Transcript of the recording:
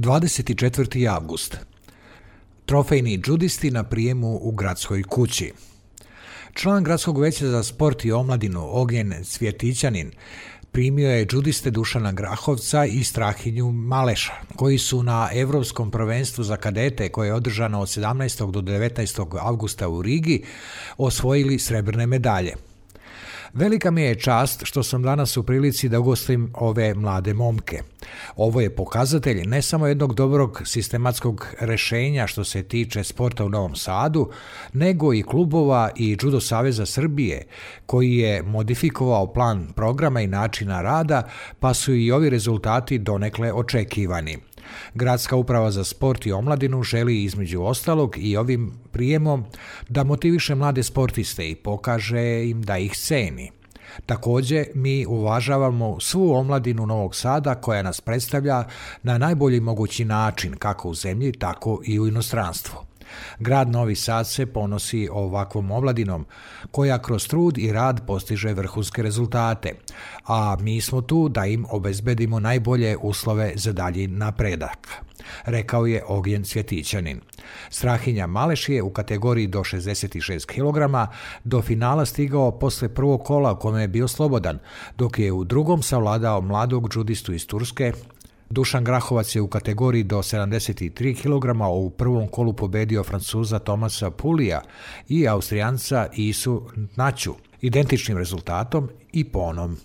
24. avgust. Trofejni džudisti na prijemu u gradskoj kući. Član Gradskog veća za sport i omladinu Ognjen Cvjetićanin primio je džudiste Dušana Grahovca i Strahinju Maleša, koji su na Evropskom prvenstvu za kadete, koje je održano od 17. do 19. avgusta u Rigi, osvojili srebrne medalje. Velika mi je čast što sam danas u prilici da ugostim ove mlade momke. Ovo je pokazatelj ne samo jednog dobrog sistematskog rešenja što se tiče sporta u Novom Sadu, nego i klubova i Judo Saveza Srbije, koji je modifikovao plan programa i načina rada, pa su i ovi rezultati donekle očekivani. Gradska uprava za sport i omladinu želi između ostalog i ovim prijemom da motiviše mlade sportiste i pokaže im da ih ceni. Također, mi uvažavamo svu omladinu Novog Sada koja nas predstavlja na najbolji mogući način, kako u zemlji, tako i u inostranstvu. Grad Novi Sad se ponosi ovakvom omladinom koja kroz trud i rad postiže vrhunske rezultate, a mi smo tu da im obezbedimo najbolje uslove za dalji napredak, rekao je Ognjen Cvjetićanin. Strahinja Maleš je u kategoriji do 66 kg do finala stigao posle prvog kola u kome je bio slobodan, dok je u drugom savladao mladog džudistu iz Turske. Dušan Grahovac je u kategoriji do 73 kg u prvom kolu pobedio Francuza Tomasa Pulija i Austrijanca Isu Naću, identičnim rezultatom i ponom.